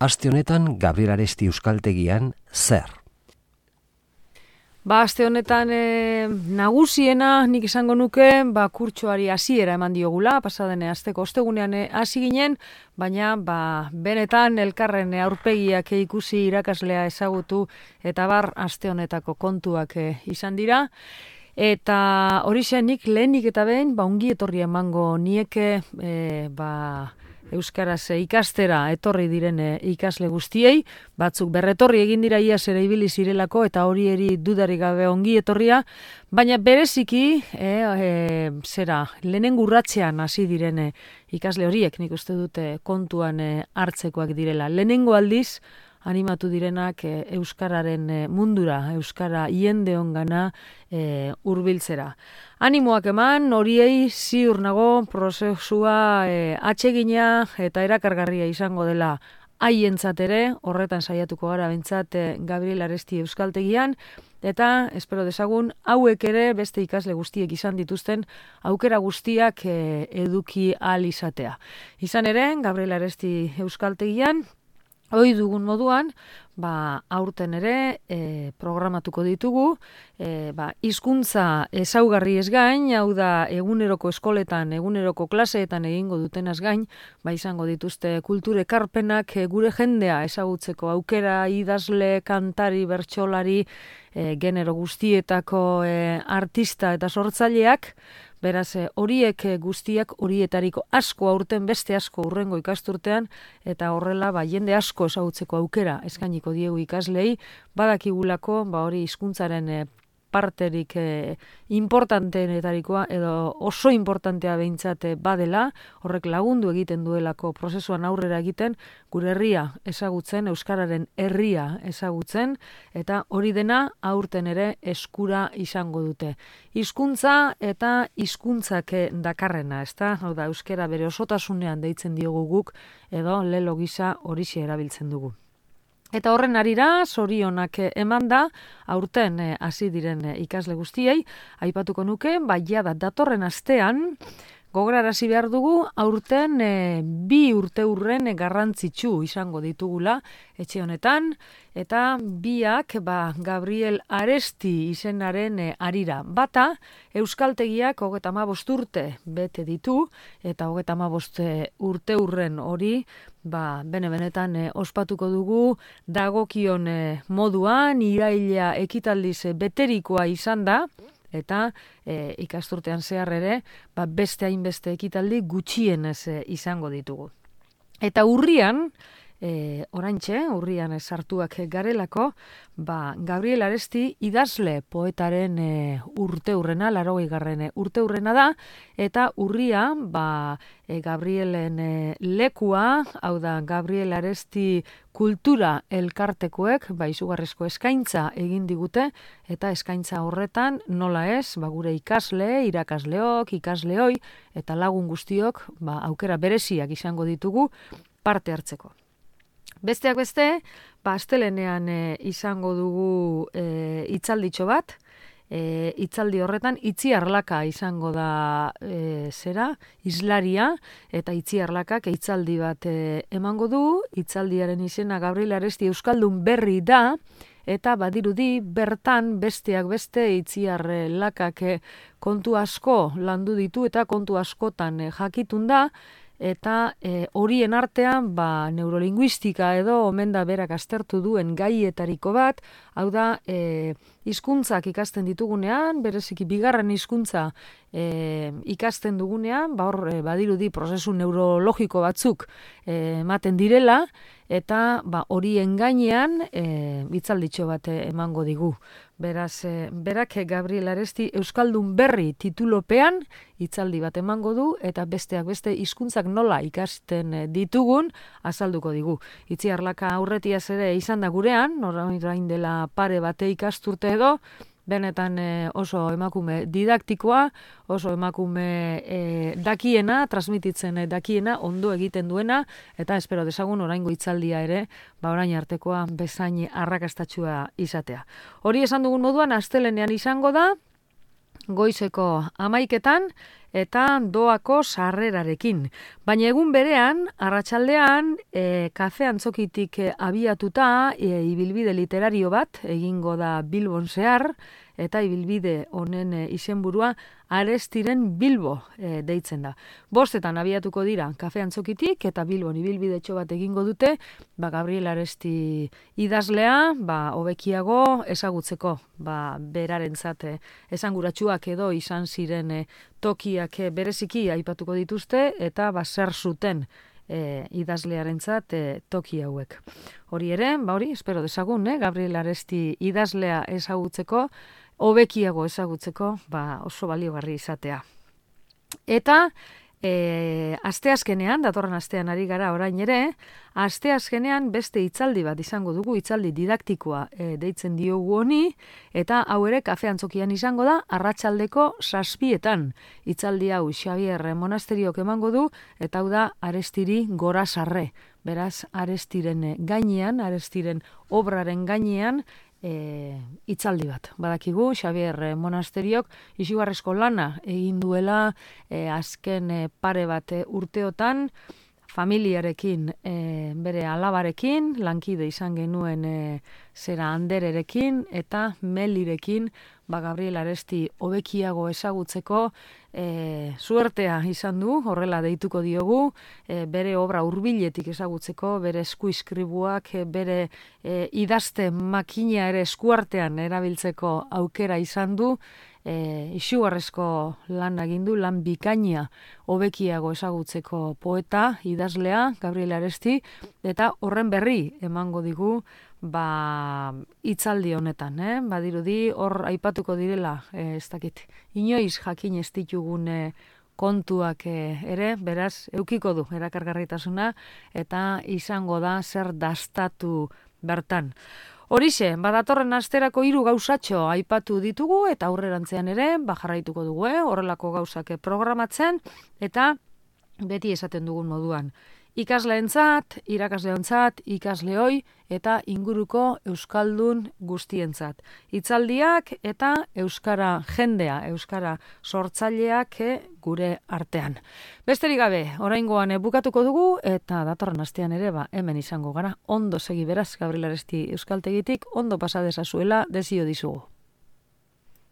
aste honetan Gabriel Aresti Euskaltegian zer? Aste honetan nagusiena nik esango nuke, kurtsoari hasiera eman diogula, pasaden asteko ostegunean hasi ginen, baina benetan elkarren aurpegiak ikusi, irakaslea ezagutu eta aste honetako kontuak izan dira. Eta horixe nik lehenik eta behin ongi etorri emango nieke euskaraz ikastera etorri diren ikasle guztiei, batzuk berretorri egin dira iaz ere ibili zirelako eta hori eri dudarik gabe ongi etorria, baina bereziki lehenengo urratsean hasi diren ikasle horiek nik uste dute kontuan hartzekoak direla. Lehenengo aldiz animatu direnak euskararen mundura, euskara jende ongana hurbiltzera. Animoak eman, horiei ziur nago prozesua atsegina eta erakargarria izango dela haientzat ere, horretan saiatuko gara behintzat Gabriel Aresti Euskaltegian, eta espero dezagun hauek ere beste ikasle guztiek izan dituzten aukera guztiak eduki ahal izatea. Izan ere, Gabriel Aresti Euskaltegian, ohi dugun moduan, aurten ere programatuko ditugu, hizkuntza ezaugarri ez gain, hau da eguneroko eskoletan, eguneroko klaseetan egingo dutenaz gain, izango dituzte kultur ekarpenak gure jendea ezagutzeko aukera, idazle, kantari, bertsolari, genero guztietako artista eta sortzaileak. Beraz, horiek guztiak horietariko asko aurten beste asko hurrengo ikasturtean eta horrela jende asko ezagutzeko aukera eskainiko diegu ikaslei, badakigulako hori hizkuntzaren parterik importanteenetarikoa edo oso importantea behintzat badela, horrek lagundu egiten duelako prozesuan aurrera egiten, gure herria ezagutzen, euskararen herria ezagutzen, eta hori dena aurten ere eskura izango dute. Hizkuntza eta hizkuntzak dakarrena, ezta? Hau da, euskara bere osotasunean deitzen diogu guk, edo lelo gisa horixe erabiltzen dugu. Eta horren arira, zorionak eman da, aurten hasi diren ikasle guztiei, aipatuko nuke, jada datorren astean, gogorarazi behar dugu, aurten 2 urteurren garrantzitsu izango ditugula etxe honetan, eta biak Gabriel Aresti izenaren arira. Bata, Euskaltegiak 35 urte bete ditu, eta 35 urteurren hori, benetan ospatuko dugu, dagokion moduan, iraila ekitaldiz beterikoa izan da, eta ikasturtean zehar ere, beste hainbeste ekitaldi gutxienez izango ditugu. Eta urrian sartuak garelako, Gabriel Aresti idazle poetaren urteurrena, 80. urteurrena da, eta urria, Gabrielen lekua, hau da, Gabriel Aresti kultura elkartekoek, izugarrizko eskaintza egin digute, eta eskaintza horretan, nola ez, gure ikasle, irakasleok, ikasleoi, eta lagun guztiok, aukera bereziak izango ditugu parte hartzeko. Besteak beste, astelehenean izango dugu hitzalditxo bat, hitzaldi horretan Itziar Laka izango da hizlaria, eta Itziar Lakak hitzaldi bat emango du, hitzaldiaren izena Gabriel Aresti Euskaldun berri da, eta badirudi bertan besteak beste Itziar Lakak kontu asko landu ditu eta kontu askotan jakitun da, eta horien artean neurolinguistika edo omen da berak aztertu duen gaietariko bat, hau da hizkuntzak ikasten ditugunean, bereziki bigarren hizkuntza ikasten dugunean, badirudi prozesu neurologiko batzuk ematen direla, eta horien gainean hitzalditxo bat emango digu. Beraz, berak Gabriel Aresti Euskaldun berri titulopean hitzaldi bat emango du, eta besteak beste hizkuntzak nola ikasten ditugun azalduko digu. Itziar Laka aurretiaz ere izan da gurean, orain dela pare bate ikasturte edo, benetan oso emakume didaktikoa, oso emakume dakiena, transmititzen dakiena, ondo egiten duena, eta espero dezagun oraingo hitzaldia ere, orain artekoa bezain arrakastatsua izatea. Hori esan dugun moduan, astelehenean izango da, goizeko 11:00, eta doako sarrerarekin. Baina egun berean, arratsaldean, kafe antzokitik abiatuta, ibilbide literario bat, egingo da Bilbon zehar, eta ibilbide honen izenburua Arestiren Bilbo deitzen da. 5:00 abiatuko dira kafe antzokitik eta Bilbon ibilbidetxo bat egingo dute, Gabriel Aresti idazlea, hobekiago ezagutzeko, berarentzat esanguratsuak edo izan ziren tokiak bereziki aipatuko dituzte eta zer zuten idazlearentzat toki hauek. Hori ere, espero dezagun, Gabriel Aresti idazlea ezagutzeko, hobekiago ezagutzeko, oso baliogarri izatea. Eta asteazkenean, datorren astean ari gara orain ere, asteazkenean beste hitzaldi bat izango dugu, hitzaldi didaktikoa deitzen diogu honi, eta hau ere kafe antzokian izango da, arratsaldeko 7:00. Hitzaldi hau Xabier Monasteriok emango du, eta hau da Arestiri Gorazarre. Beraz, Arestiren gainean, Arestiren obraren gainean, hitzaldi bat. Badakigu, Xabier Monasteriok izugarrizko lana egin duela azken pare bat urteotan, familiarekin, bere alabarekin, lankide izan genuen zera Andererekin eta Melirekin, Gabriel Aresti hobekiago ezagutzeko suertea izan du, horrela deituko diogu, bere obra hurbiletik ezagutzeko, bere eskuiskribuak, bere idazte makina ere eskuartean erabiltzeko aukera izan du, izugarrizko lan egin du, lan bikaina hobekiago ezagutzeko poeta, idazlea, Gabriel Aresti, eta horren berri emango digu hitzaldi honetan, badirudi hor aipatuko direla, ez dakit, inoiz jakin ez ditugun kontuak ere, beraz, eukiko du erakargarritasuna, eta izango da zer dastatu bertan. Horixe, datorren asterako 3 gauzatxo aipatu ditugu, eta aurrerantzean ere, jarraituko dugu, horrelako gauzak programatzen, eta beti esaten dugun moduan. Ikasleentzat, irakasleontzat, ikasleoi eta inguruko euskaldun guztientzat. Hitzaldiak eta euskara jendea, euskara sortzaileak gure artean. Besterik gabe, oraingoan bukatuko dugu eta datorren astean ere hemen izango gara. Ondo segi beraz, Gabriel Aresti euskaltegitik, ondo pasa dezazuela, desio dizugu.